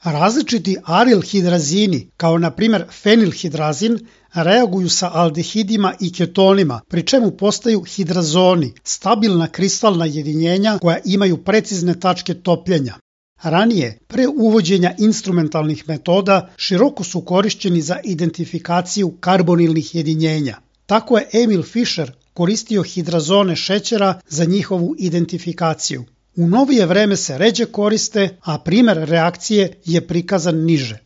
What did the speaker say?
Različiti arilhidrazini, kao na primjer fenilhidrazin, reaguju sa aldehidima i ketonima, pri čemu postaju hidrazoni, stabilna kristalna jedinjenja koja imaju precizne tačke topljenja. Ranije, pre uvođenja instrumentalnih metoda, široko su korišćeni za identifikaciju karbonilnih jedinjenja. Tako je Emil Fischer koristio hidrazone šećera za njihovu identifikaciju. U novije vreme se ređe koriste, a primer reakcije je prikazan niže.